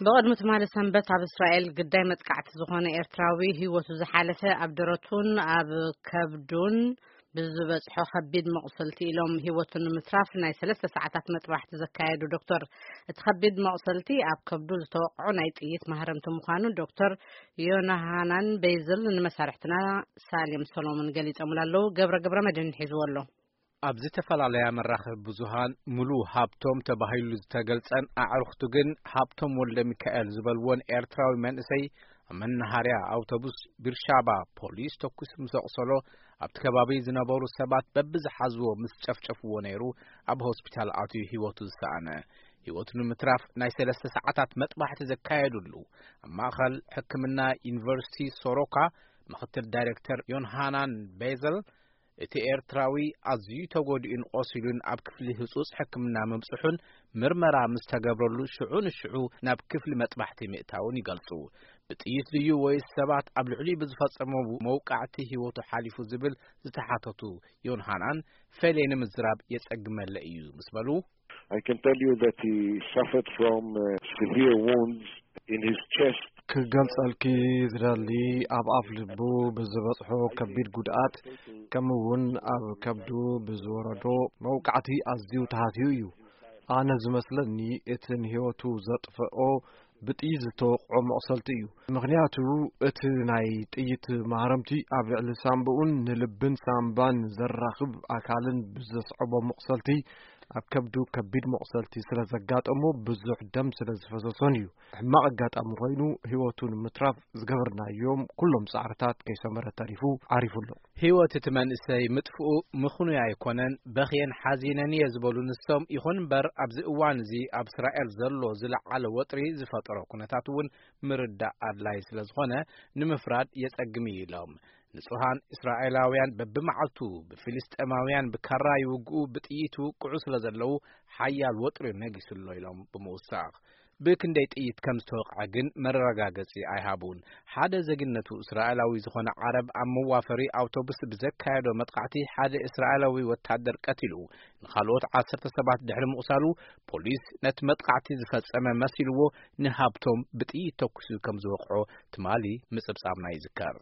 ብቕድሚ ትማሊ ሰንበት ኣብ እስራኤል ግዳይ መጥቃዕቲ ዝኾነ ኤርትራዊ ህይወቱ ዝሓለፈ፣ ኣብ ደረቱን ኣብ ከብዱን ብዝበጽሖ ከቢድ መቑሰልቲ ኢሎም ህይወቱ ንምትራፍ ናይ ሰለስተ ሰዓታት መጥባሕቲ ዘካየዱ ዶክተር፣ እቲ ከቢድ መቑሰልቲ ኣብ ከብዱ ዝተወቕዖ ናይ ጥይት ማህረምቲ ምዃኑ ዶክተር ዮናሃናን ቤይዝል ንመሳርሕትና ሳሌም ሰሎሞን ገሊጾምሉ ኣለዉ። ገብረ ገብረ መድህን ሒዝዎ ኣሎ። ኣብ ዝተፈላለያ መራኸቢ ብዙሃን ምሉእ ሃብቶም ተባሂሉ ዝተገልጸን ኣዕሩኽቱ ግን ሃብቶም ወልደ ሚካኤል ዝበልዎን ኤርትራዊ መንእሰይ ኣብ መናሃርያ ኣውቶቡስ ቢርሻባ ፖሊስ ተኩሱ ምስ ኣቑሰሎ፣ ኣብቲ ከባቢ ዝነበሩ ሰባት በብዝሓዝዎ ምስ ጨፍጨፍዎ ነይሩ ኣብ ሆስፒታል ኣትዩ ህይወቱ ዝሰኣነ። ህይወቱ ንምትራፍ ናይ ሰለስተ ሰዓታት መጥባሕቲ ዘካየዱሉ ኣብ ማእኸል ሕክምና ዩኒቨርሲቲ ሶሮካ ምኽትል ዳይሬክተር ዮንሃናን ቤዘል፣ እቲ ኤርትራዊ ኣዝዩ ተጎዲኡን ቆሲሉን ኣብ ክፍሊ ህጹጽ ሕክምና ምብጽሑን ምርመራ ምስ ተገብረሉ ሽዑ ንሽዑ ናብ ክፍሊ መጥባሕቲ ምእታውን ይገልጹ። ብጥይት ድዩ ወይስ ሰባት ኣብ ልዕሊኡ ብዝፈጸሞ መውቃዕቲ ህይወቱ ሓሊፉ ዝብል ዝተሓተቱ ዮንሃናን፣ ፈልየ ንምዝራብ የጸግመለ እዩ ምስ በሉ፣ I can tell you that he suffered from uh, severe wounds in his chest. ክገልጸልኪ ዝደሊ፣ ኣብ ኣፍ ልቡ ብዝበጽሖ ከቢድ ጉድኣት፣ ከምኡ እውን ኣብ ከብዱ ብዝወረዶ መውቃዕቲ ኣዝዩ ተሃትዩ እዩ። ኣነ ዝመስለኒ፣ እቲ ንህይወቱ ዘጥፈኦ ብጥይት ዝተወቕዖ መቑሰልቲ እዩ። ምኽንያቱ፣ እቲ ናይ ጥይት ማህረምቲ ኣብ ልዕሊ ሳምባኡን ንልብን ሳምባን ዘራኽብ ኣካልን ብዘስዐቦ መቑሰልቲ፣ ኣብ ከብዱ ከቢድ መቑሰልቲ ስለ ዘጋጠሞ፣ ብዙሕ ደም ስለ ዝፈሰሶን እዩ። ሕማቕ ኣጋጣሚ ኮይኑ፣ ህይወቱ ንምትራፍ ዝገበርናዮም ኩሎም ጻዕርታት ከይሰመረ ተሪፉ ዓሪፉ ኣሎ። ህይወት እቲ መንእሰይ ምጥፍኡ ምኽኑይ ኣይኮነን፣ በኽየን ሓዚነን እየ ዝበሉ ንሶም፣ ይኹን እምበር ኣብዚ እዋን እዚ ኣብ እስራኤል ዘሎ ዝለዓለ ወጥሪ ዝፈጠሮ ኩነታት እውን ምርዳእ ኣድላይ ስለ ዝኾነ ንምፍራድ የጸግም እዩ ኢሎም። ንጹሃን እስራኤላውያን በብመዓልቱ ብፊልስጤማውያን ብካራ ይውግኡ፣ ብጥይት ይውቅዑ ስለ ዘለዉ ሓያል ወጥሪ ነጊሱ ኣሎ ኢሎም ብምውሳኽ፣ ብክንደይ ጥይት ከም ዝተወቕዐ ግን መረጋገጺ ኣይሃቡን። ሓደ ዜግነቱ እስራኤላዊ ዝኾነ ዓረብ ኣብ መዋፈሪ ኣውቶቡስ ብዘካየዶ መጥቃዕቲ ሓደ እስራኤላዊ ወታደር ቀቲሉ፣ ንኻልኦት ዓሰርተ ሰባት ድሕሪ ምቑሳሉ፣ ፖሊስ ነቲ መጥቃዕቲ ዝፈጸመ መሲልዎ ንሃብቶም ብጥይት ተኩሱ ከም ዝወቕዖ ትማሊ ምጽብጻብና ይዝከር።